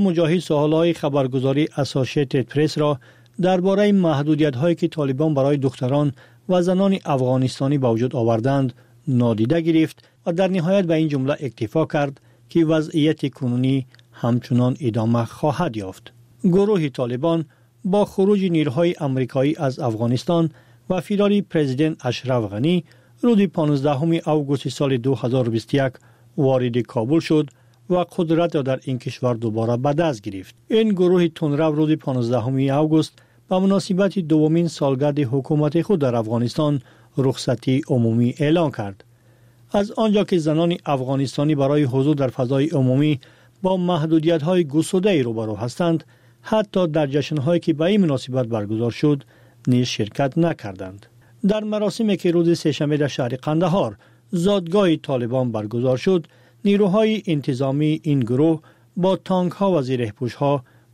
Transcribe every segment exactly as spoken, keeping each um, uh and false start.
Муҷоҳид саволҳои хабаргузории Associated Press ро дар бораи маҳдудиятҳое, ки Толибон барои духтарон ва занони афғонистонӣ ба вуҷуд овардаанд, нодида гирифт ва дар ниҳоят ба ин ҷумла иктифо кард, ки вазъияти кунунӣ ҳамчунон идома хоҳад ёфт. Гурӯҳи Толибон бо хуруҷи нерӯҳои амрикоӣ аз Афғонистон ва фирори президент Ашраф Ғанӣ рӯзи понздаҳуми август соли ду ҳазору бисту як вориди Кобул шуд ва қудратро дар ин кишвар дубора ба даст гирифт. Ин гурӯҳи тундрав рӯзи понздаҳуми август ба муносибати дуввумин солгарди ҳукумати худ дар Афғонистон рухсатии умумӣ эълон кард. Аз он ҷо ки занони афғонистонӣ барои ҳузур дар фазои умумӣ бо маҳдудиятҳои густурдае рӯбарӯ ҳастанд, ҳатто дар ҷашнҳое ки ба ин муносибат баргузор шуд низ ширкат накарданд. Дар маросиме ки рӯзи сешанбе дар шаҳри Қандаҳор, зодгоҳи Толибон, баргузор шуд, нерӯҳои интизомии ин гурӯҳ бо танкҳо ва зиреҳпӯшҳо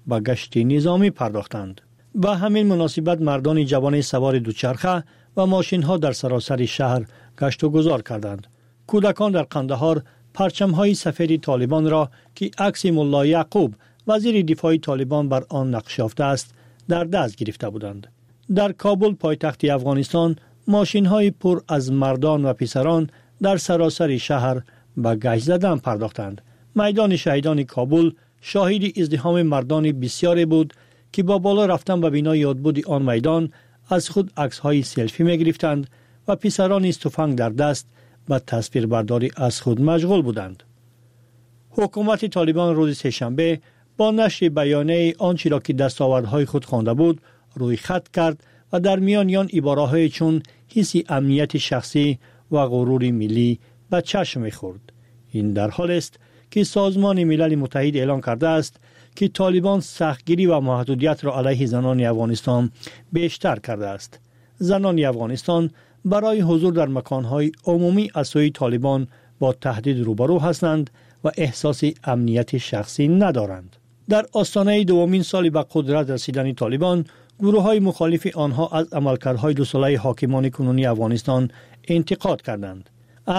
ба гашти низомӣ пардохтанд. Ба ҳамин муносибат мардони ҷавони савори дучарха ва мошинҳо дар саросари шаҳр гашту гузор карданд. Кӯдакон дар Қандаҳор парчамҳои сафеди Толибонро, ки акси Мулло Яъқуб, вазири дифои Толибон, бар он нақш ёфтааст, дар даст гирифта буданд. Дар Кобул, пойтахти Афғонистон, мошинҳои пур аз мардон ва писарон дар саросари шаҳр ба гашт задан пардохтанд. Майдони шаҳидони Кобул шоҳиди издиҳоми мардони бисёре буд, ки бо боло рафтан ба бинои ёдбуди он майдон аз худ аксҳои селфӣ мегирифтанд ва писарони туфанг дар даст ба тасвирбардорӣ аз худ машғул буданд. Ҳукумати Толибон рӯзи сешанбе бо нашри баёнияе он чиро ки дастовардҳои худ хонда буд рӯи хат кард ва дар миёни он ибораҳое чун ҳисси амнияти шахсӣ ва ғурури миллӣ ба чашм мехӯрд. Ин дар ҳолест ки Созмони Милали Муттаҳид эълон кардааст, ки Толибон сахтгирӣ ва маҳдудиятро алайҳи занони Афғонистон бештар кардааст. Занони Афғонистон барои ҳузур дар маконҳои умумӣ аз сӯи Толибон бо таҳдид рӯбарӯ ҳастанд ва эҳсоси амнияти шахсӣ надоранд. Дар остонаи дуввумин соли ба қудрат расидани Толибон, гурӯҳҳои мухолифи онҳо аз амалкардҳои дусолаи ҳокимони кунунии Афғонистон интиқод карданд.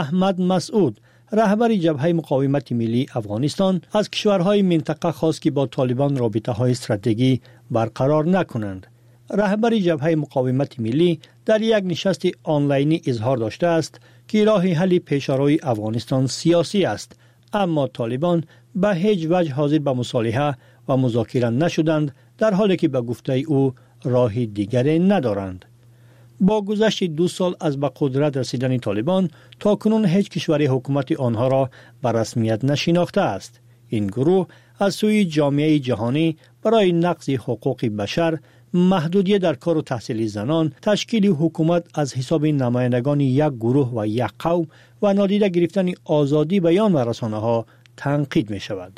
Аҳмад Масъуд, раҳбари Ҷабҳаи Муқовимати Миллии Афғонистон, аз кишварҳои минтақа хост, ки бо Толибон робитаҳои стратегӣ барқарор накунанд. Раҳбари Ҷабҳаи Муқовимати Миллӣ дар як нишасти онлайнӣ изҳор доштааст, ки роҳи ҳалли пешарои Афғонистон сиёсӣ аст, аммо Толибон ба ҳеҷ ваҷҳ ҳозир ба мусолиҳа ва музокира нашуданд, дар ҳоле ки ба гуфтаи ӯ роҳи дигаре надоранд. Бо гузашти ду сол аз ба қудрат расидани Толибон, то кунун ҳеҷ кишваре ҳукумати онҳоро ба расмият нашинохтааст. Ин гурӯҳ аз сӯи ҷомеаи ҷаҳонӣ барои нақзи ҳуқуқи башар, маҳдудият дар кору таҳсили занон, ташкили ҳукумат аз ҳисоби намояндагони як гурӯҳ ва як қавм ва нодида гирифтани озодии баён ва расонаҳо танқид мешавад.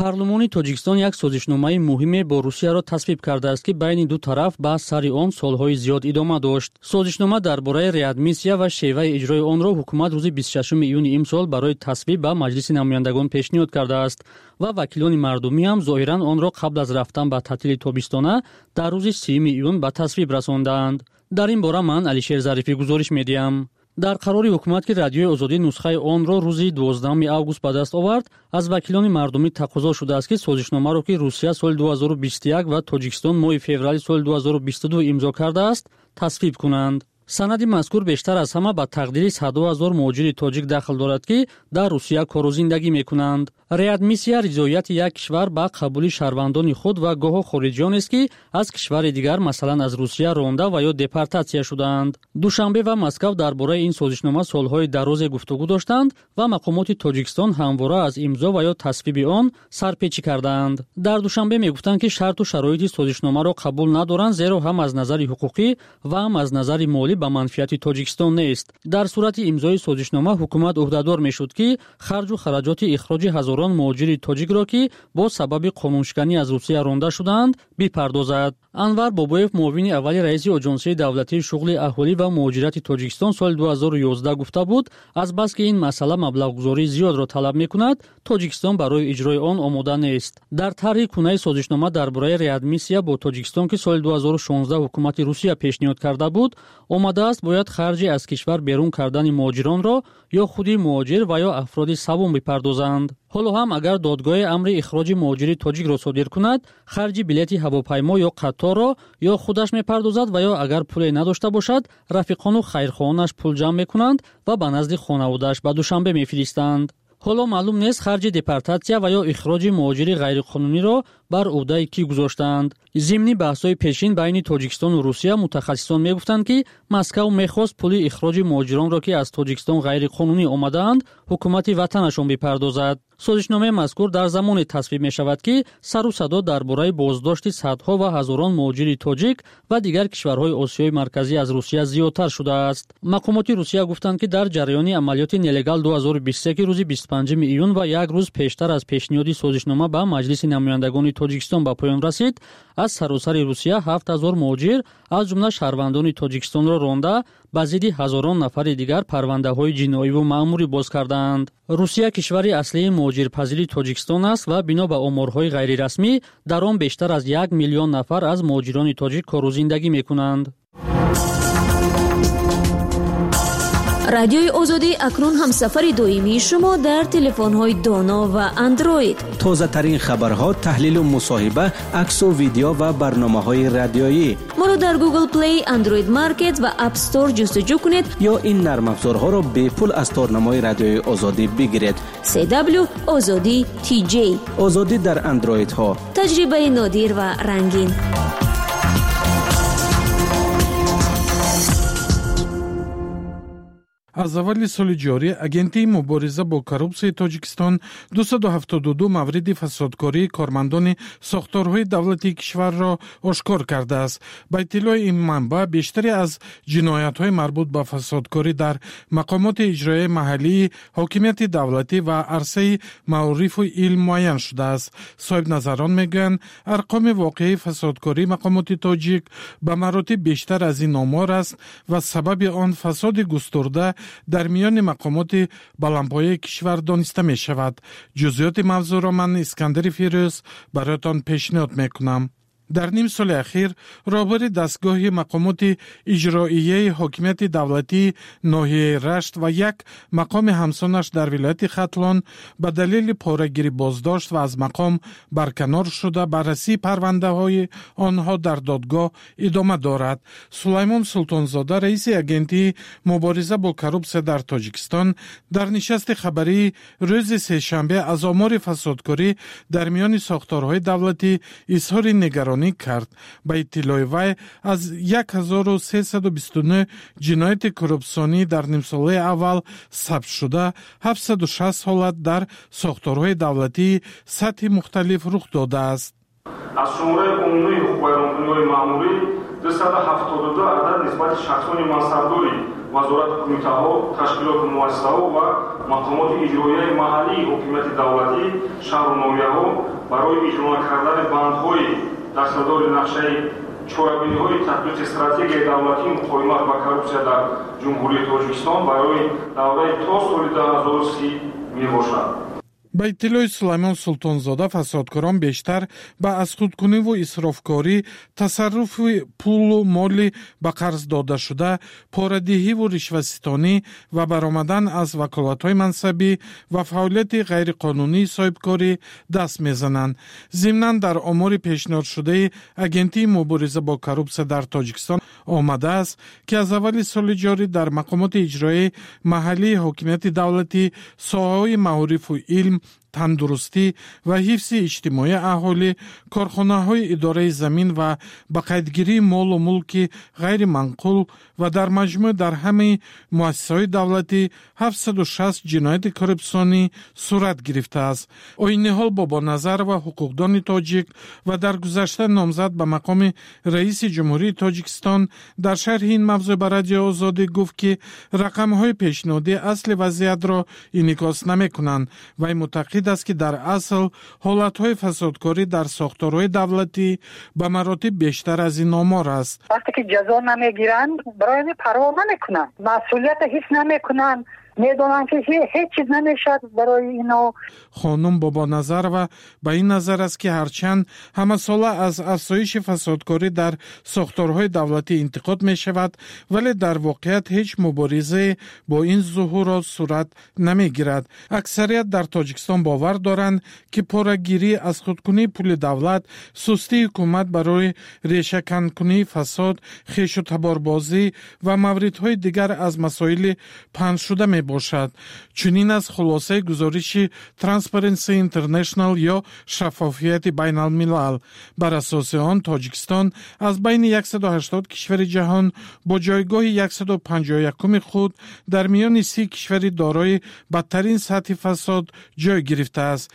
Парлумони Тоҷикистон як созишномаи муҳиме бо Русияро тасвиб кардааст, ки байни ду тараф баҳс сари он солҳои зиёд идома дошт. Созишнома дар бораи реадмиссия ва шеваи иҷрои онро ҳукумат рӯзи бисту шашуми июни имсол барои тасвиб ба Маҷлиси намояндагон пешниҳод кардааст ва вакилони мардумӣ ҳам зоҳиран онро қабл аз рафтан ба таътили тобистона дар рӯзи сиюми июн ба тасвиб расондаанд. Дар ин бора ман, Алишер Зарифӣ, гузориш медиҳам. Дар қарори ҳукумат, ки Радиои Озодӣ нусхаи онро рӯзи дувоздаҳуми август ба даст овард, аз вакилони мардумӣ тақозо шудааст, ки созишномаро, ки Русия соли ду ҳазору бисту як ва Тоҷикистон моҳи феврали соли ду ҳазору бисту ду имзо кардааст, тасвиб кунанд. Санади мазкур бештар аз ҳама ба тақдири садҳо ҳазор муҳоҷири тоҷик дахл дорад, ки дар Русия кору зиндагӣ мекунанд. Реадмиссия ризояти як кишвар ба қабули шаҳрвандони худ ва гоҳо хориҷиёнест, ки аз кишвари дигар, масалан аз Русия, ронда ва ё депортатсия шудаанд. Душанбе ва Москав дар бораи ин созишнома солҳои дарозе гуфтугӯ доштанд ва мақомоти Тоҷикистон ҳамвора аз имзо ва ё тасвиби он сарпечӣ кардаанд. Дар Душанбе мегуфтанд, ки шарту шароити созишномаро қабул надоранд, зеро ҳам аз назари ҳуқуқӣ ва ҳам аз назари молӣ ба манфиати Тоҷикистон нест. Дар сурати имзои созишнома ҳукумат ӯҳдадор мешуд, ки харҷу хараҷоти ихроҷи ҳазорон муҳоҷири тоҷикро, ки бо сабаби қонуншиканӣ аз Русия ронда шудаанд, бипардозад. Анвар Бобоев, муовини аввали раиси Оҷонсии давлатии шуғли аҳолӣ ва муҳоҷирати Тоҷикистон, соли ду ҳазору ёздаҳ гуфта буд, азбаски ин масъала маблағгузории зиёдро талаб мекунад, Тоҷикистон барои иҷрои он омода нест. Дар тарҳи кунаи созишнома дар бораи реадмиссия бо Тоҷикистон, ки соли ду ҳазору шонздаҳ ҳукумати Русия пешниҳод карда буд, омадааст, бояд харҷи аз кишвар берун кардани муҳоҷиронро ё худи муҳоҷир ва ё афроди саввум бипардозанд. Ҳоло ҳам агар додгоҳе амри ихроҷи муҳоҷири тоҷикро содир кунад, харҷи билети ҳавопаймо ё қаторро ё худаш мепардозад ва ё агар пуле надошта бошад, рафиқону хайрхоҳонаш пул ҷамъ мекунанд ва ба назди хонаводааш ба Душанбе мефиристанд. Ҳоло маълум нест харҷи депортатсия ва ё ихроҷи муҳоҷири ғайриқонуниро бар ӯҳдаи кӣ гузоштаанд. Зимни баҳсҳои пешин байни Тоҷикистону Русия мутахассисон мегуфтанд, ки Москав мехост пули ихроҷи муҳоҷиронро, ки аз Тоҷикистон ғайриқонунӣ омадаанд, ҳукумати ватанашон бипардозад. Созишномаи мазкур дар замоне тасвиб мешавад, ки сару садо дар бораи боздошти садҳо ва ҳазорон муҳоҷири тоҷик ва дигар кишварҳои Осиёи Марказӣ аз Русия зиёдтар шудааст. Мақомоти Русия гуфтанд, ки дар ҷараёни амалиёти нелегал ду ҳазору бисту се, ки рӯзи бисту панҷуми июн ва як рӯз пештар аз пешниҳоди созишнома ба Маҷлиси намояндагони Тоҷикистон ба поён расид, аз саросари Русия ҳафт ҳазор муҳоҷир аз ҷумла шаҳрвандони Тоҷикистонро ронда ба зидди ҳазорон нафари дигар парвандаҳои ҷиноиву маъмурӣ боз кардаанд. Русия кишвари аслии муҳоҷирпазири Тоҷикистон аст ва бино ба оморҳои ғайрирасмӣ дар он бештар аз як миллион нафар аз муҳоҷирони тоҷик кору зиндагӣ мекунанд. Радиои Озодӣ акнун ҳамсафари доимии шумо дар телефонҳои доно ва андроид. Тозатарин хабарҳо, таҳлилу мусоҳиба, аксу видео ва барномаҳои радиоӣ. Моро дар Google Play, Android Market ва App Store ҷустуҷӯ кунед ё ин нармафзорҳоро бепул аз торнамои Радиои Озодӣ бигиред. си дабл ю Озодӣ ти ҷей. Озодӣ дар андроидҳо. Таҷрибаи нодир ва рангин. Аз аввали соли ҷорӣ Агентии мубориза бо коррупсияи Тоҷикистон дусаду ҳафтоду ду мавриди фасодкории кормандони сохторҳои давлатии кишварро ошкор кардааст. Ба иттилои ин манбаъ, бештаре аз ҷиноятҳои марбут ба фасодкорӣ дар мақомоти иҷроияи маҳаллии ҳокимияти давлатӣ ва арсаи маорифу илм муайян шудааст. Соҳибназарон мегӯянд, арқоми воқеии фасодкории мақомоти тоҷик ба маротиб бештар аз ин омор аст ва сабаби он фасоди густурда дар миёни мақомоти баландпояи кишвар дониста мешавад. Ҷузъиёти мавзӯъро ман Искандари Фирӯз бароятон пешниҳод мекунам. Дар ним соли ахир роҳбари дастгоҳи мақомоти иҷроияи ҳокимияти давлатии ноҳияи Рашт ва як мақоми ҳамсонаш дар вилояти Хатлон ба далели порагирӣ боздошт ва аз мақом барканор шуда, баррасии парвандаҳои онҳо дар додгоҳ идома дорад. Сулаймон Султонзода, раиси Агентии мубориза бо коррупсия дар Тоҷикистон, дар нишасти хабарии рӯзи сешанбе аз омори фасодкорӣ дар миёни сохторҳои давлатӣ изҳори нигаронӣ кард. Ба иттилои вай, аз як ҳазору сесаду бисту нӯҳ ҷинояти коррупсионӣ дар нимсолаи аввал сабт шуда, ҳафтсаду шаст ҳолат дар сохторҳои давлатии сатҳи мухталиф рух додааст. Аз шумораи умумии ҳуқуқвайронкуниҳои маъмурӣ дусаду ҳафтоду ду адад нисбати шахсони мансабдори вазорат, кумитаҳо, ташкилоту муассисаҳо ва мақомоти иҷроияи маҳаллии ҳокимияти давлатӣ, шаҳру ноҳияҳо барои иҷро накардани бандҳои дастадори нақшаи чорабиниҳои татбиқи стратегияи давлатии муқовимат ба коррупсия дар Ҷумҳурии Тоҷикистон барои давраи то соли ду ҳазору си мебошад. Ба иттилои Сулаймон Султонзода, фасодкорон бештар ба азхудкуниву исрофкорӣ, тасарруфи пулу моли ба қарз додашуда, порадиҳиву ришваситонӣ ва баромадан аз ваколатҳои мансабӣ ва фаъолияти ғайриқонунии соҳибкорӣ даст мезананд. Зимнан дар омори пешниҳодшудаи Агентии мубориза бо коррупсия дар Тоҷикистон омадааст, ки аз аввали соли ҷорӣ дар мақомоти иҷроияи маҳаллии ҳокимияти давлатӣ, соҳаҳои маорифу илм, тандурустӣ ва ҳифзи иҷтимоии аҳолӣ, корхонаҳои идораи замин ва ба қайдгирии молу мулки ғайриманқул ва дар маҷмӯъ дар ҳамаи муассисаҳои давлатӣ ҳафтсаду шаст ҷинояти коррупсионӣ сурат гирифтааст. Оиниҳол Бобоназарова, ҳуқуқдони тоҷик ва дар гузашта номзад ба мақоми раиси Ҷумҳурии Тоҷикистон, дар шарҳи ин мавзӯъ ба Радиои Озодӣ гуфт, ки рақамҳои пешниҳодӣ асли вазъиятро инъикос намекунанд. Вай мутақид аст, ки дар асл ҳолатҳои фасодкорӣ дар сохторҳои давлатӣ ба маротиб бештар аз ин омор аст. Вақте ки ҷазо намегиранд, барои ҳамин парво намекунанд, масъулиятро ҳис намекунанд. Медонанд, ки ҳеҷ чиз намешавад барои ино. Хонум Бобоназарова ба ин назар аст, ки ҳарчанд ҳамасола аз афзоиши фасодкорӣ дар сохторҳои давлатӣ интиқод мешавад, вале дар воқеият ҳеҷ муборизае бо ин зуҳурот сурат намегирад. Аксарият дар Тоҷикистон бовар доранд, ки порагирӣ, аз худкунии пули давлат, сустии ҳукумат барои решаканкунии фасод, хешу таборбозӣ ва мавридҳои дигар аз масоили паҳншуда мебошад. Чунин аст хулосаи гузориши Transparency International ё Шаффофияти байналмилал. Бар асоси он, Тоҷикистон аз байни яксаду ҳаштод кишвари ҷаҳон бо ҷойгоҳи яксаду панҷоҳу якуми худ дар миёни си кишвари дорои бадтарин сатҳи фасод ҷой гирифтааст.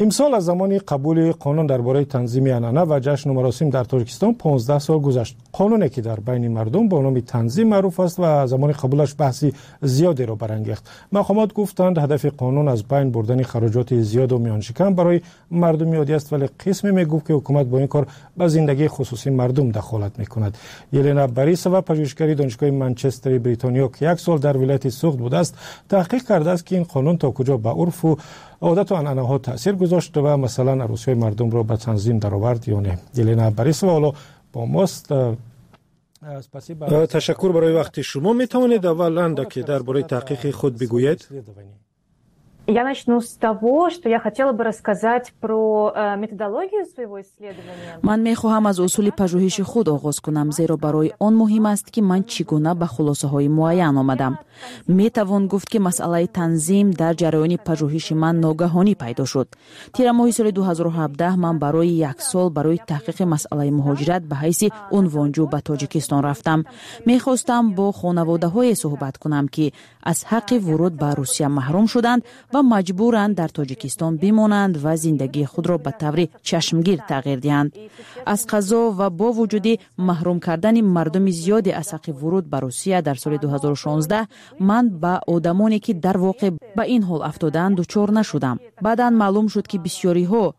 Имсол аз замони қабули қонун дар бораи танзими анъана ва ҷашну маросим дар Тоҷикистон понздаҳ сол гузашт. Қонуне, ки дар байни мардум бо номи танзим маъруф аст ва замони қабулаш баҳси зиёдеро барангехт. Мақомот гуфтанд, ҳадафи қонун аз байн бурдани хароҷоти зиёду миёншикан барои мардуми оддӣ аст, вале қисме мегуфт, ки ҳукумат бо ин кор ба зиндагии хусусии мардум дахолат мекунад. Елена Борисова, пажӯҳишгари Донишгоҳи Манчестери Бритониё, ки як сол дар вилояти Суғд будааст, таҳқиқ кардааст, ки ин қонун то куҷо ба урфу одату анъанаҳо таъсир гузошт ва масалан арӯсиҳои мардумро ба танзим даровард ё не. Елена Борисова ҳоло бо мост. Ташаккур барои вақти шумо. Метавонед аввал андаке дар бораи таҳқиқи худ бигӯед? Я начну с того, что я хотела бы рассказать про э, методологию своего исследования. Ман мехоҳам аз усули пажӯҳиши худ оғоз кунам, зеро барои он муҳим аст, ки ман чӣ гуна ба хулосаҳои муайян омадам. Метавон гуфт, ки масъалаи танзим дар ҷараёни пажӯҳиши ман ногаҳонӣ пайдо шуд. Тирамоҳи соли ду ҳазору ҳабдаҳ ман барои як сол барои таҳқиқи масъалаи муҳоҷират ба ҳайси унвонҷӯ ба Тоҷикистон рафтам. Мехостам бо хонаводаҳое суҳбат кунам, ки аз ҳаққи вуруд ба Русия маҳрум шуданд ва маҷбуранд дар Тоҷикистон бимонанд ва зиндагии худро ба таври чашмгир тағйир диҳанд. Аз қазо ва бо вуҷуди маҳрум кардани мардуми зиёде аз ҳаққи вуруд ба Русия дар соли ду ҳазору шонздаҳ, ман ба одамоне, ки дар воқеъ ба ин ҳол афтодаанд, дучор нашудам. Баъдан маълум шуд, ки бисёриҳо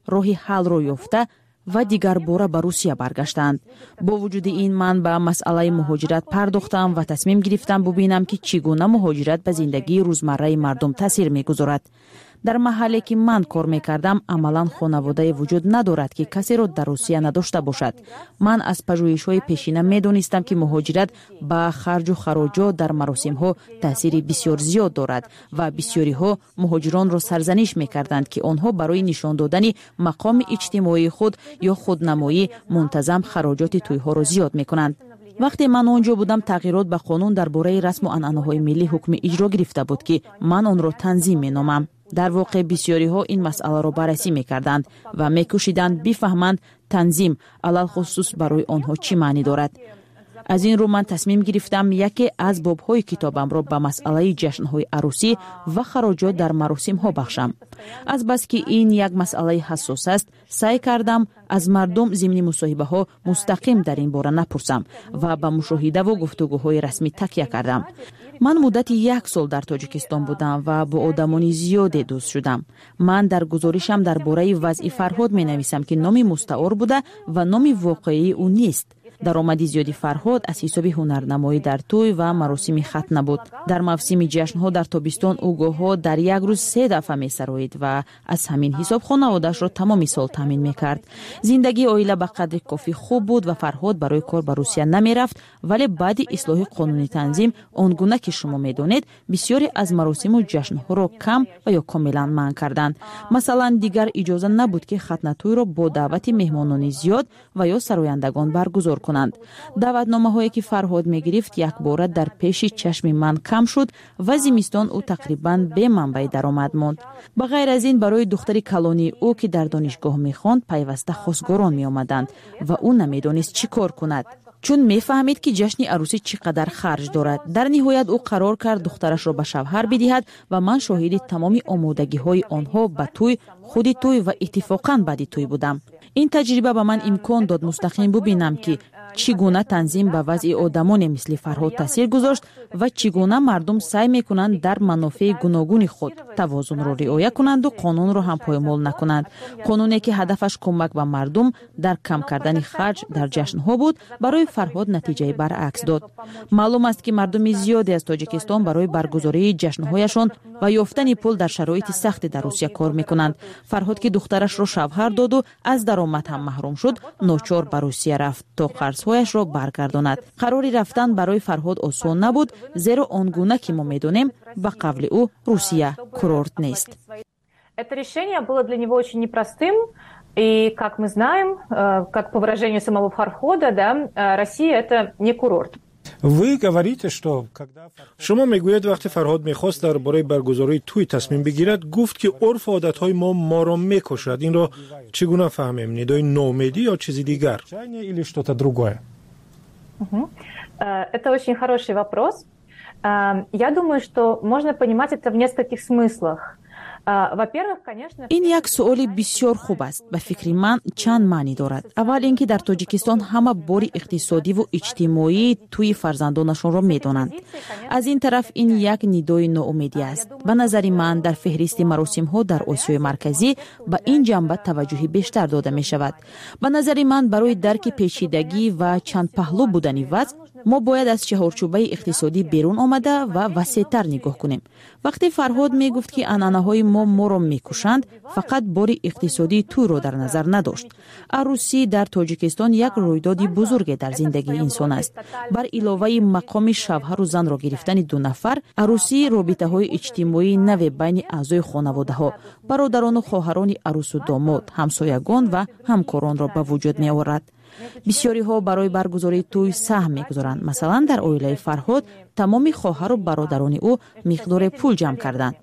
роҳи ҳаллро ёфта ва дигарбора ба Русия баргаштанд. Бо вуҷуди ин, ман ба масъалаи муҳоҷират пардохтам ва тасмим гирифтам бубинам, ки чӣ гуна муҳоҷират ба зиндагии рӯзмарраи мардум таъсир мегузорад. Дар маҳалле, ки ман кор мекардам, амалан хонаводае вуҷуд надорад, ки касеро дар Русия надошта бошад. Ман аз пажӯҳишҳои пешина медонистам, ки муҳоҷират ба харҷу хароҷот дар маросимҳо таъсири бисёр зиёд дорад ва бисёриҳо муҳоҷиронро сарзаниш мекарданд, ки онҳо барои нишон додани мақоми иҷтимоии худ ё худнамоӣ мунтазам хароҷоти тӯйҳоро зиёд мекунанд. Вақте ман он ҷо будам, тағйирот ба қонун дар бораи расму анъанаҳои миллӣ ҳукми иҷро гирифта буд, ки ман онро танзим меномам. Дар воқеъ, бисёриҳо ин масъаларо баррасӣ мекарданд ва мекӯшиданд бифаҳманд, танзим алалхусус барои онҳо чӣ маънӣ дорад. Аз ин рӯ ман тасмим гирифтам яке аз бобҳои китобамро ба масъалаи ҷашнҳои арӯсӣ ва хароҷот дар маросимҳо бахшам. Азбаски ин як масъалаи ҳассос аст, саъй кардам аз мардум зимни мусоҳибаҳо мустақим дар ин бора напурсам ва ба мушоҳидаву гуфтугӯҳои расмӣ такя кардам. Ман муддати як сол дар Тоҷикистон будам ва бо одамони зиёде дӯст шудам. Ман дар гузоришам дар бораи вазъи Фарҳод менависам, ки номи мустаор буда ва номи воқеии ӯ нест. Даромади зиёди Фарҳод аз ҳисоби ҳунарнамоӣ дар тӯй ва маросими хатна буд. Дар мавсими ҷашнҳо дар тобистон ӯ гоҳҳо дар як рӯз се дафъа месароид ва аз ҳамин ҳисоб хонаводаашро тамоми сол таъмин мекард. Зиндагии оила ба қадри кофӣ хуб буд ва Фарҳод барои кор ба Русия намерафт. Вале баъди ислоҳи қонуни танзим, он гуна ки шумо медонед, бисёре аз маросиму ҷашнҳоро кам ва ё комилан манъ карданд. Масалан, дигар иҷоза набуд, ки хатнатӯйро бо даъвати меҳмонони зиёд ва ё сарояндагон баргузор кунанд. Даъватномаҳое, ки Фарҳод мегирифт, якбора дар пеши чашми ман кам шуд ва зимистон ӯ тақрибан бе манбаи даромад монд. Ба ғайр аз ин, барои духтари калонии ӯ, ки дар донишгоҳ мехонд, пайваста хосгорон меомаданд ва ӯ намедонист чӣ кор кунад, чун мефаҳмид, ки ҷашни арӯсӣ чӣ қадар харҷ дорад. Дар ниҳоят ӯ қарор кард духтарашро ба шавҳар бидиҳад ва ман шоҳиди тамоми омодагиҳои онҳо ба тӯй, худи тӯй ва иттифоқан баъди тӯй будам. Ин таҷриба ба ман имкон дод мустақим бубинам, ки Чӣ гуна танзим ба вазъи одамоне мисли Фарҳод таъсир гузошт ва чӣ гуна мардум саъй мекунанд дар манофеи гуногуни худ тавозунро риоя кунанду қонунро ҳам поймол накунанд. Қонуне, ки ҳадафаш кӯмак ба мардум дар кам кардани харҷ дар ҷашнҳо буд, барои Фарҳод натиҷаи баръакс дод. Маълум аст, ки мардуми зиёде аз Тоҷикистон барои баргузории ҷашнҳояшон ва ёфтани пул дар шароити сахте дар Русия кор мекунанд. Фарҳод, ки духтарашро шавҳар доду аз даромад ҳам маҳрум шуд, ночор ба Русия рафт, то қарзҳояшро баргардонад. Қарори рафтан барои Фарҳод осон набуд, зеро он гуна ки мо медонем, ба қавли ӯ, Русия курорт нест. Это решение было для него очень непростым. И, как мы знаем, э, как по выражению самого Фархода, да, э, Россия – это не курорт. Вы говорите, что когда Шумо мегӯед, вақте Фарҳод мехост дар бораи баргузории тӯй тасмим бигирад, гуфт, ки урфу одатҳои мо моро мекушад. Инро чӣ гуна фаҳмем: нидои ноумедӣ ё чизи дигар? Или что-то другое? Э, это очень хороший вопрос. Я думаю, что можно понимать это в нескольких смыслах. Ин як суоли бисёр хуб аст. Ба фикри ман, чанд маънӣ дорад. Аввал ин ки дар Тоҷикистон ҳама бори иқтисодиву иҷтимоии тӯи фарзандонашонро медонанд. Аз ин тараф, ин як нидои ноумедӣ аст. Ба назари ман, дар феҳристи маросимҳо дар Осиёи Марказӣ ба ин ҷанба таваҷҷӯҳи бештар дода мешавад. Ба назари ман, барои дарки печидагӣ ва чандпаҳлӯ будани вазъ мо бояд аз чаҳорчӯбаи иқтисодӣ берун омада ва васеътар нигоҳ кунем. Вақте Фарҳод мегуфт, ки анъанаҳои мо моро мекушанд, фақат бори иқтисодии тӯйро дар назар надошт. Арӯсӣ дар Тоҷикистон як рӯйдоди бузурге дар зиндагии инсон аст. Бар иловаи мақоми шавҳару занро гирифтани ду нафар, арӯсӣ робитаҳои иҷтимоии наве байни аъзои хонаводаҳо, бародарону хоҳарони арӯсу домод, ҳамсоягон ва ҳамкоронро ба вуҷуд меорад. Бисёриҳо барои баргузории тӯй саҳм мегузоранд. Масалан, дар оилаи Фарҳод тамоми хоҳару бародарони ӯ миқдоре пул ҷамъ карданд.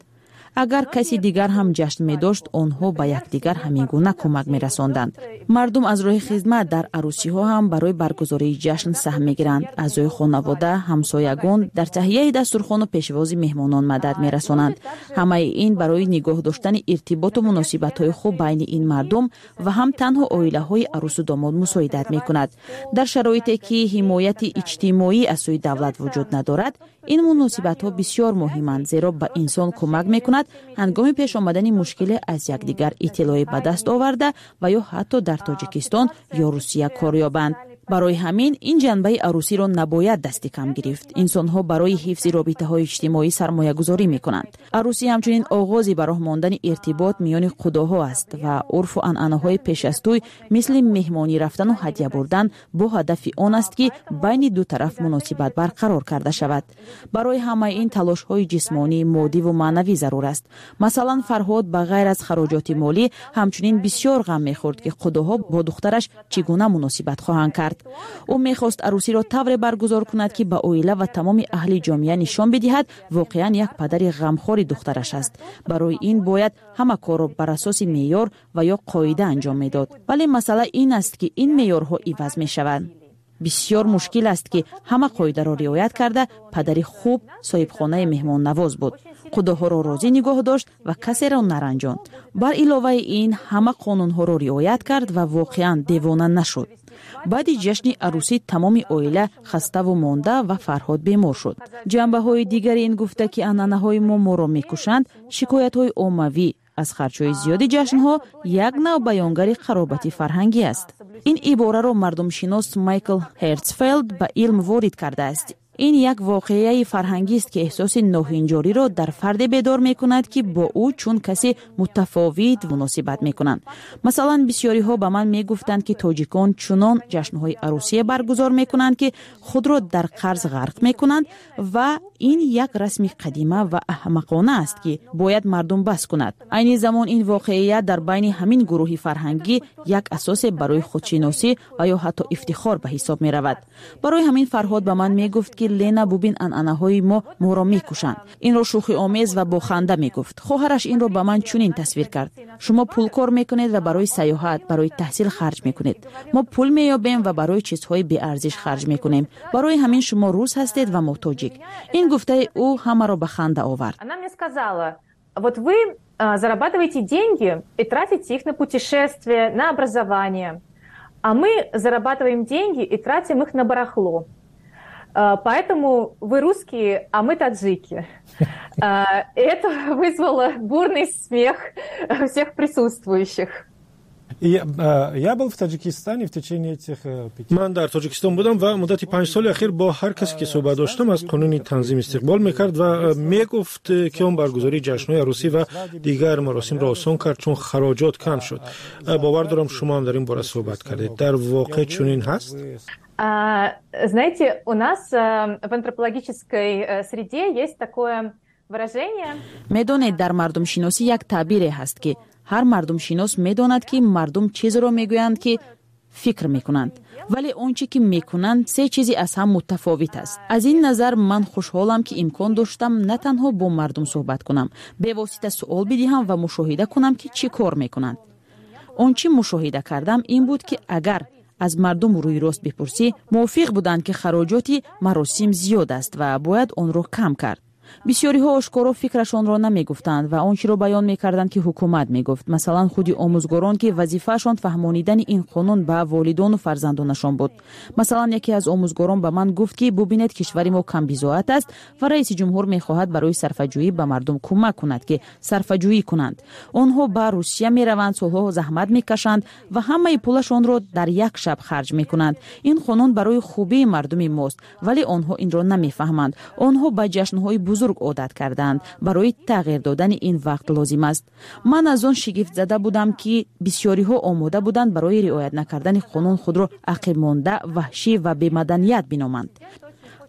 Агар каси дигар ҳам ҷашн медошт, онҳо ба якдигар ҳамин гуна кӯмак мерасонданд. Мардум аз роҳи хизмат дар арӯсиҳо ҳам барои баргузории ҷашн саҳм мегиранд. Аъзои хонавода, ҳамсоягон дар таҳияи дастурхону пешвози меҳмонон мадад мерасонанд. Ҳамаи ин барои нигоҳ доштани иртиботу муносибатҳои хуб байни ин мардум ва ҳам танҳо оилаҳои арӯсу домод мусоидат мекунад. Дар шароите ки ҳимояти иҷтимоӣ аз сӯи давлат вуҷуд надорад, ин муносибатҳо бисёр муҳиманд, зеро ба инсон кӯмак мекунад ҳангоми пеш омадани мушкиле аз якдигар иттилоъе ба даст оварда ва ё ҳатто дар Тоҷикистон ё Русия кор ёбанд. Барои ҳамин ин ҷанбаи арӯсиро набояд дасти кам гирифт. Инсонҳо барои ҳифзи робитаҳои иҷтимоӣ сармоягузорӣ мекунанд. Арӯсӣ ҳамчунин оғози ба роҳ мондани иртибот миёни қудоҳо аст ва урфу анъанаҳои пеш аз тӯй, мисли меҳмонӣ рафтану ҳадя бурдан, бо ҳадафи он аст, ки байни ду тараф муносибат барқарор карда шавад. Барои ҳамаи ин талошҳои ҷисмонӣ, моддиву маънавӣ зарур аст. Масалан, Фарҳод ба ғайр аз хароҷоти молӣ ҳамчунин бисёр ғам мехӯрд, ки қудоҳо бо духтараш чӣ гуна муносибат хоҳанд кард. Ӯ мехост арӯсиро тавре баргузор кунад, ки ба оила ва тамоми аҳли ҷомеа нишон бидиҳад, воқеан як падари ғамхори духтараш аст. Барои ин бояд ҳама корро бар асоси меъёр ва ё қоида анҷом медод. Вале масъала ин аст, ки ин меъёрҳо иваз мешаванд. Бисёр мушкил аст, ки ҳама қоидаро риоят карда. Падари хуб, соҳибхонаи меҳмоннавоз буд, қудоҳоро розӣ нигоҳ дошт ва касеро наранҷонд. Бар иловаи ин, ҳама қонунҳоро риоят кард ва воқеан девона нашуд. Баъди ҷашни арӯсӣ тамоми оила хаставу монда ва Фарҳод бемор шуд. Ҷанбаҳои дигари ин гуфта, ки анъанаҳои мо моро мекушанд, шикоятҳои оммавӣ аз харҷҳои зиёди ҷашнҳо як нав баёнгари қаробати фарҳангӣ аст. Ин ибораро мардумшинос Майкл Ҳертсфелд ба илм ворид кардааст. Ин як воқеаи фарҳангист, ки эҳсоси ноҳинҷориро дар фарде бедор мекунад, ки бо ӯ чун касе мутафовит муносибат мекунанд. Масалан, бисёриҳо ба ман мегуфтанд, ки тоҷикон чунон ҷашнҳои арӯсие баргузор мекунанд, ки худро дар қарз ғарқ мекунанд, ва ин як расми қадима ва аҳмақона аст, ки бояд мардум бас кунад. Айни замон ин воқеият дар байни ҳамин гурӯҳи фарҳангӣ як асосе барои худшиносӣ ва ё ҳатто ифтихор ба ҳисоб меравад. Барои ҳамин Фарҳод ба ман мегуфт, ки Лена, бубин, анъанаҳои мо моро мекушанд. Инро шӯхиомез ва бо ханда мегуфт. Хоҳараш инро ба ман чунин тасвир кард: шумо пул кор мекунед ва барои сайёҳат, барои таҳсил харҷ мекунед, мо пул меёбем ва барои чизҳои беарзиш харҷ мекунем. Барои ҳамин шумо рус ҳастед ва мо тоҷик. Ин гуфтаи ӯ ҳамаро ба ханда овард. Она мне сказала: вот вы зарабатываете деньги и тратите их на путешествия, на образование. А мы зарабатываем деньги и тратим их на барахло. Поэтому вы русские, а мы таджики. Это вызвало бурный смех всех присутствующих. Я был в Таджикистане в течение этих пяти... Ман дар Тоҷикистон будам ва муддати панҷ соли ахир бо ҳар касе ки суҳбат доштам, аз қонуни танзим истиқбол мекард ва мегуфт, ки он баргузории ҷашнҳои арӯсӣ ва дигар маросимро осон кард, чун хароҷот кам шуд. Бовар дорам, шумо ҳам дар ин бора суҳбат кардед. Дар воқеъ чунин ҳаст? Знаете, у нас в антропологической среде есть такое выражение. Медонед, дар мардумшиносӣ як таъбире ҳаст, ки ҳар мардумшинос медонад, ки мардум чизеро мегӯянд, ки фикр мекунанд, вале он чӣ ки мекунанд, се чизи аз ҳам мутафовит аст. Аз ин назар ман хушҳолам, ки имкон доштам на танҳо бо мардум суҳбат кунам, бевосита суол бидиҳам ва мушоҳида кунам, ки чӣ кор мекунанд. Он чӣ мушоҳида кардам, ин буд, ки агар аз мардум рӯи рост бипурсӣ, мувофиқ буданд, ки хароҷоти маросим зиёд аст ва бояд онро кам кард. Бисёриҳо ошкоро фикрашонро намегуфтанд ва он чиро баён мекарданд, ки ҳукумат мегуфт. Масалан, худи омӯзгорон, ки вазифаашон фаҳмонидани ин қонун ба волидону фарзандонашон буд. Масалан, яке аз омӯзгорон ба ман гуфт, ки бубинед, кишвари мо камбизоат аст ва раиси ҷумҳур мехоҳад барои сарфаҷӯӣ ба мардум кӯмак кунад, ки сарфаҷӯӣ кунанд. Онҳо ба Русия мераванд, солҳо заҳмат мекашанд ва ҳамаи пулашонро дар як шаб харҷ мекунанд. Ин қонун барои хубии мардуми мост, вале онҳо инро намефаҳманд. Онҳо ба ҷашнҳои бузург одат карданд. Барои тағйир додани ин вақт лозим аст. Ман аз он шигифтзада будам, ки бисёриҳо омода буданд барои риоят накардани қонун худро ақибмонда, ваҳшӣ ва бемаданият биноманд.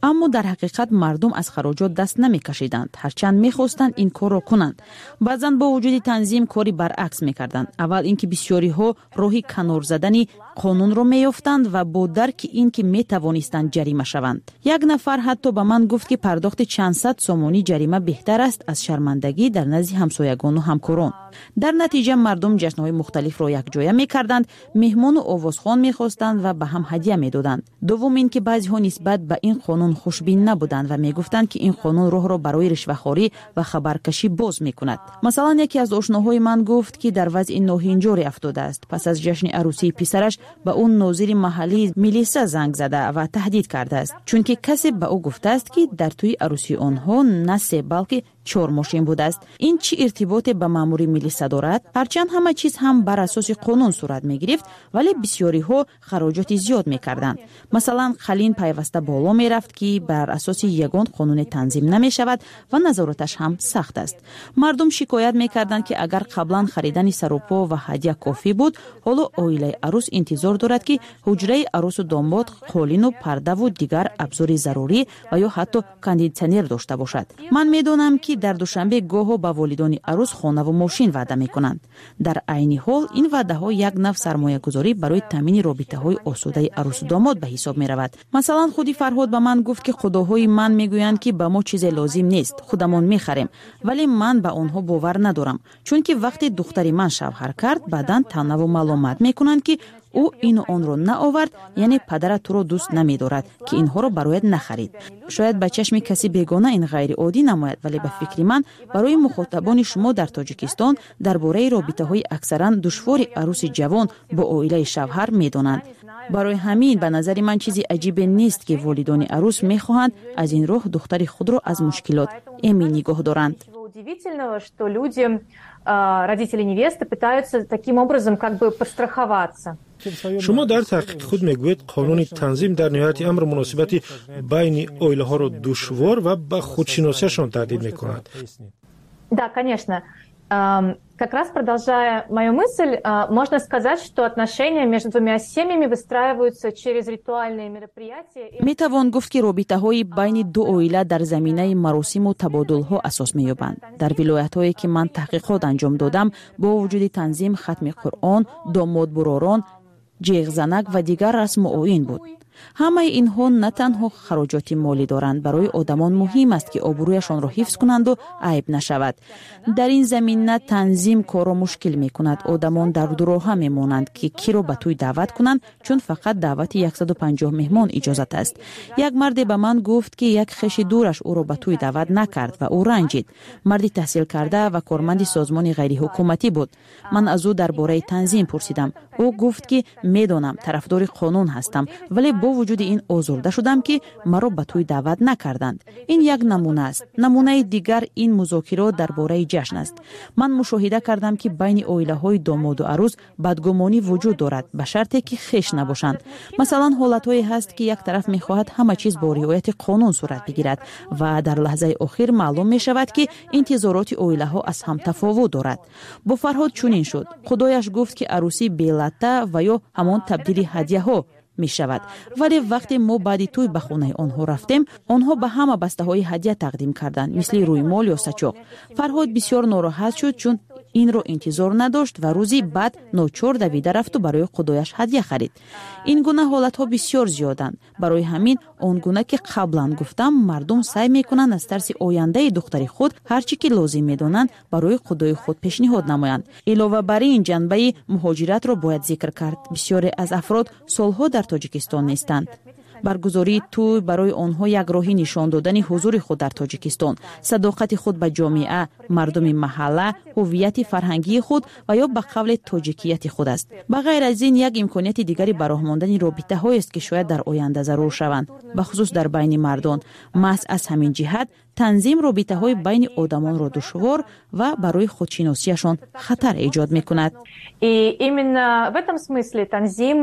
Аммо дар ҳақиқат мардум аз хароҷот даст намекашиданд, ҳарчанд мехостанд ин корро кунанд. Баъзан бо вуҷуди танзим кори баръакс мекарданд. Аввал ин ки бисёриҳо роҳи канор задани қонунро меёфтанд ва бо дарки ин ки метавонистанд ҷарима шаванд. Як нафар ҳатто ба ман гуфт, ки пардохти чандсад сомонӣ ҷарима беҳтар аст аз шармандагӣ дар назди ҳамсоягону ҳамкорон. Дар натиҷа мардум ҷашнҳои мухталифро якҷоя мекарданд, меҳмону овозхон мехостанд ва ба ҳам ҳадя медоданд. Дуввум ин ки баъзеҳо нисбат ба ин қонун хушбин набуданд ва мегуфтанд, ки ин қонун роҳро барои ришвахорӣ ва хабаркашӣ боз мекунад. Масалан, яке аз ошноҳои ман гуфт, ки дар вазъи ноҳинҷоре афтодааст. Пас аз ҷашни арӯсии писараш ба ӯ нозири маҳаллии милиса занг зада ва таҳдид кардааст, чунки касе ба ӯ гуфтааст, ки дар тӯи арӯсии онҳо на се, балки чор мошин будааст. Ин чӣ иртиботе ба маъмури милиса дорад? Ҳарчанд ҳама чиз ҳам бар асоси қонун сурат мегирифт, вале бисёриҳо хароҷоти зиёд мекарданд. Масалан, қалин пайваста боло мерафт, ки бар асоси ягон қонуне танзим намешавад ва назораташ ҳам сахт аст. Мардум шикоят мекарданд, ки агар қаблан харидани сарупо ва ҳадя кофӣ буд, ҳоло оилаи арӯс интизор дорад, ки ҳуҷраи арӯсу домод қолину пардаву дигар абзори зарурӣ ва ё ҳатто кондитсионер дошта бошад. Ман медонам, ки дар Душанбе гоҳо ба волидони арӯс хонаву мошин ваъда мекунанд. Дар айни ҳол ин ваъдаҳо як нав сармоягузорӣ барои таъмини робитаҳои осудаи арӯсу домод ба ҳисоб меравад. Масалан, худи Фарҳод ба ман гуфт, ки худоҳои ман мегӯянд, ки ба мо чизе лозим нест, худамон мехарем, вале ман ба онҳо бовар надорам, чунки вақте духтари ман шавҳар кард, баъдан таънаву маломат мекунанд, ки ӯ ину онро наовард, яъне падарат туро дӯст намедорад, ки инҳоро барояд нахарид. Шояд ба чашми каси бегона ин ғайриоддӣ намояд, вале ба фикри ман барои мухотабони шумо дар Тоҷикистон дар бораи робитаҳои аксаран душвори арӯси ҷавон бо оилаи шавҳар медонанд. Барои ҳамин ба назари ман чизи аҷибе нест, ки волидони арӯс мехоҳанд аз ин роҳ духтари худро аз мушкилот эмин нигоҳ доранд. Удивительного, что люди, родители невесты, пытаются таким образом как бы подстраховаться. Шумо дар таҳқиқи худ мегӯед, қонуни танзим дар ниҳояти амр муносибати байни оилаҳоро душвор ва ба худшиносиашон таҳдид мекунад. Да, конечно. Как раз продолжая мою мысль, можно сказать, что отношения между двумя семьями выстраиваются через ритуальные мероприятия. Метавон гуфт, ки робитаҳои байни ду оила дар заминаи маросиму табодулҳо асос меёбанд. Дар вилоятҳое, ки ман таҳқиқот анҷом додам, бо вуҷуди танзим, хатми Қуръон, домодбуророн, ҷеғзанак ва дигар расму оин буд. Ҳамаи инҳо на танҳо хароҷоти молӣ доранд, барои одамон муҳим аст, ки обрӯяшонро ҳифз кунанду айб нашавад. Дар ин замина танзим корро мушкил мекунад. Одамон дар дуроҳа мемонанд, ки киро ба тӯй даъват кунанд, чун фақат даъвати яксаду панҷоҳ меҳмон иҷозат аст. Як марде ба ман гуфт, ки як хеши дураш ӯро ба тӯй даъват накард ва ӯ ранҷид. Марди таҳсилкарда ва корманди созмони ғайриҳукуматӣ буд. Ман аз ӯ дар бораи танзим пурсидам. Ӯ гуфт, ки медонам, тарафдори қонун ҳастам, вале бо вуҷуди ин озурда шудам, ки маро ба тӯй даъват накарданд. Ин як намуна аст. Намунаи дигар ин музокирот дар бораи ҷашн аст. Ман мушоҳида кардам, ки байни оилаҳои домоду арӯс бадгумонӣ вуҷуд дорад, ба шарте ки хеш набошанд. Масалан, ҳолатҳое ҳаст, ки як тараф мехоҳад ҳама чиз бо риояти қонун сурат бигирад ва дар лаҳзаи охир маълум мешавад, ки интизороти оилаҳо аз ҳам тафовут дорад. Бо Фарҳод чунин шуд. Худояш гуфт, ки арӯсӣ белатта ва ё ҳамон табдили ҳадяҳо мешавад, вале вақте мо баъди тӯй ба хонаи онҳо рафтем, онҳо ба ҳама бастаҳои ҳадя тақдим карданд, мисли рӯймол ё сачоқ. Фарҳод бисёр нороҳат шуд, чун инро интизор надошт ва рӯзи баъд ночор давида рафту барои худояш ҳадя харид. Ин гуна ҳолатҳо бисёр зиёданд. Барои ҳамин, он гуна ки қаблан гуфтам, мардум саъй мекунанд аз тарси ояндаи духтари худ ҳар чӣ ки лозим медонанд, барои худои худ пешниҳод намоянд. Илова бар ин, ҷанбаи муҳоҷиратро бояд зикр кард. Бисёре аз афрод солҳо дар Тоҷикистон нестанд. Баргузории тӯй барои онҳо як роҳи нишон додани ҳузури худ дар Тоҷикистон, садоқати худ ба ҷомеа, мардуми маҳалла, ҳуввияти фарҳангии худ ва ё ба қавле тоҷикияти худ аст. Ба ғайр аз ин, як имконияти дигари ба роҳ мондани робитаҳоест, ки шояд дар оянда зарур шаванд, бахусус дар байни мардон. Маҳз аз ҳамин ҷиҳат танзим робитаҳои байни одамонро душвор ва барои худшиносиашон хатар эҷод мекунад. И именно в этом смысле танзим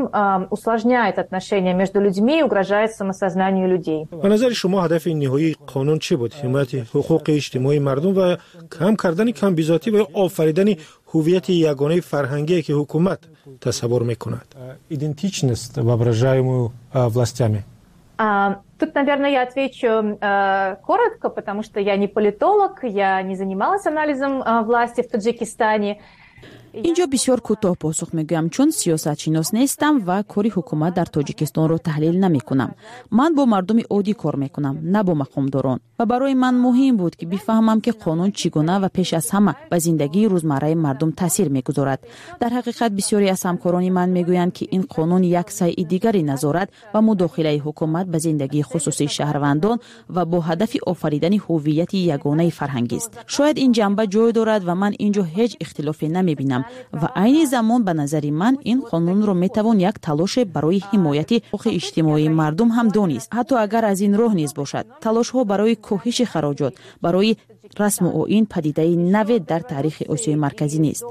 усложняет отношения между людьми и угрожает самосознанию людей. Ба назари шумо, ҳадафи ниҳоии қонун чӣ буд? Ҳимояти ҳуқуқи иҷтимоии мардум ва кам кардани камбизоатӣ ва ё офаридани ҳуввияти ягонаи фарҳангие, ки ҳукумат тасаввур мекунад? Идентичность, воображаемую властями. Тут, наверное, я отвечу э, коротко, потому что я не политолог, я не занималась анализом э, власти в Таджикистане. Инҷо бисёр кӯтоҳ посух мегӯям, чун сиёсатшинос нестам ва кори ҳукумат дар Тоҷикистонро таҳлил намекунам. Ман бо мардуми оддӣ кор мекунам, на бо мақомдорон, ва барои ман муҳим буд, ки бифаҳмам, ки қонун чӣ гуна ва пеш аз ҳама ба зиндагии рӯзмарраи мардум таъсир мегузорад. Дар ҳақиқат, бисёре аз ҳамкорони ман мегӯянд, ки ин қонун як сайи дигари назорат ва мудохилаи ҳукумат ба зиндагии хусусии шаҳрвандон ва бо ҳадафи офаридани ҳуввияти ягонаи фарҳангист. Шояд ин ҷанба ҷой дорад ва ман ин ҷо ҳеҷ ихтилофе намебинам. Ва айни замон, ба назари ман, ин қонунро метавон як талоше барои ҳимояти ҳуқуқи иҷтимоии мардум ҳам донист, ҳатто агар аз ин роҳ низ бошад. Талошҳо барои коҳиши хароҷот барои расму оин падидаи наве дар таърихи Осиёи Марказӣ нест.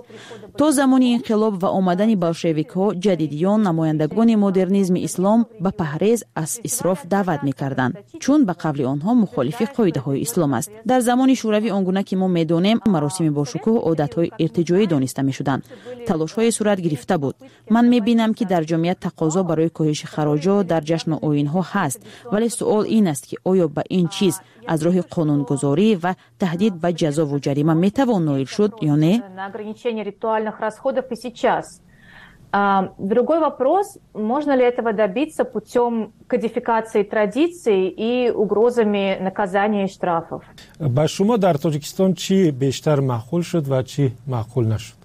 То замони инқилоб ва омадани болшевикҳо, ҷадидиён, намояндагони модернизми ислом ба паҳрез аз исроф даъват мекарданд, чун ба қавли онҳо мухолифи қоидаҳои ислом аст. Дар замони Шӯравӣ, он гуна ки мо медонем, маросими бошукӯҳ одатҳои иртиҷоӣ дониста мешуданд. Талошҳое сурат гирифта буд. Ман мебинам, ки дар ҷомеа тақозо барои коҳиши хароҷот дар ҷашну оинҳо ҳаст, вале суол ин аст, ки оё ба ин чиз аз роҳи қонунгузорӣ ва таҳдид ба ҷазову ҷарима метавон ноил шуд ё не. На ограничение ритуальных расходов и сейчас. Другой вопрос, можно ли этого добиться путем кодификации традиций и угрозами наказания и штрафов. Ба шумо дар Тоҷикистон чӣ бештар маъқул шуд ва чӣ маъқул нашуд?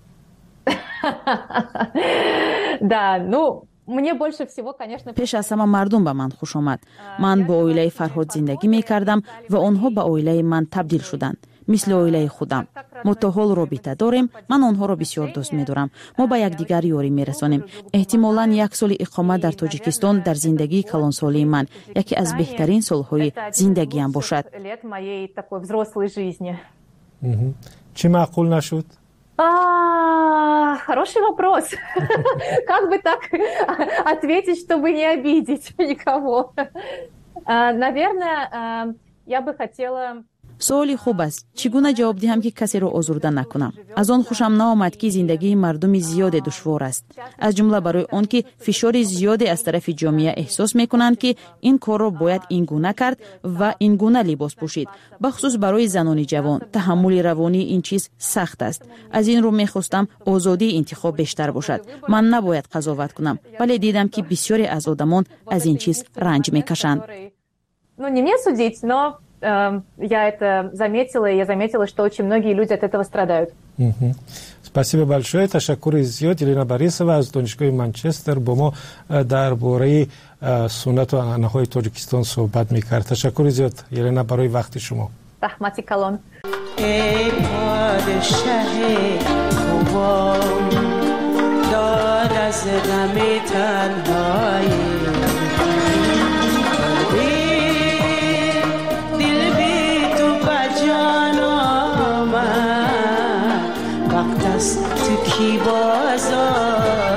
Да, ну, мне больше всего, конечно. Пеш аз ҳама мардум ба ман хуш омад. Ман бо оилаи Фарҳод зиндагӣ мекардам ва онҳо ба оилаи ман табдил шуданд, мисли оилаи худам. Мо то ҳол робита дорем. Ман онҳоро бисёр дӯст медорам. Мо ба якдигар ёрӣ мерасонем. Эҳтимолан, як соли иқомат дар Тоҷикистон дар зиндагии калонсолии ман яке аз беҳтарин солҳои зиндагиам бошад. Лет моей такой взрослой жизни. Чӣ маъқул нашуд? Хороший вопрос. Как бы так ответить, чтобы не обидеть никого? Наверное, я бы хотела. Суоли хуб аст. Чӣ гуна ҷавоб диҳам, ки касеро озурда накунам? Аз он хушам наомад, ки зиндагии мардуми зиёде душвор аст, аз ҷумла барои он ки фишори зиёде аз тарафи ҷомеа эҳсос мекунанд, ки ин корро бояд ин гуна кард ва ин гуна либос пӯшид. Бахусус барои занони ҷавон таҳаммули равонии ин чиз сахт аст. Аз ин рӯ мехостам озодии интихоб бештар бошад. Ман набояд қазоват кунам, вале дидам, ки бисёре аз одамон аз ин чиз ранҷ мекашанд. Ну, не мне судить, но Эм, я это заметила, и я заметила, что очень многие люди от этого страдают. Спасибо большое. Ташаккури зиёд. Елена Борисова аз Донишгоҳи Манчестер бо мо э, дар бораи э, суннату анъанаҳои Тоҷикистон суҳбат мекард. Ташаккури зиёд, Елена, барои вақти шумо. Раҳмати калон. ای پادشه خوبان داد. از غم تنهایی. دل بی تو به جان آمد، وقت است تو کی باز آیی.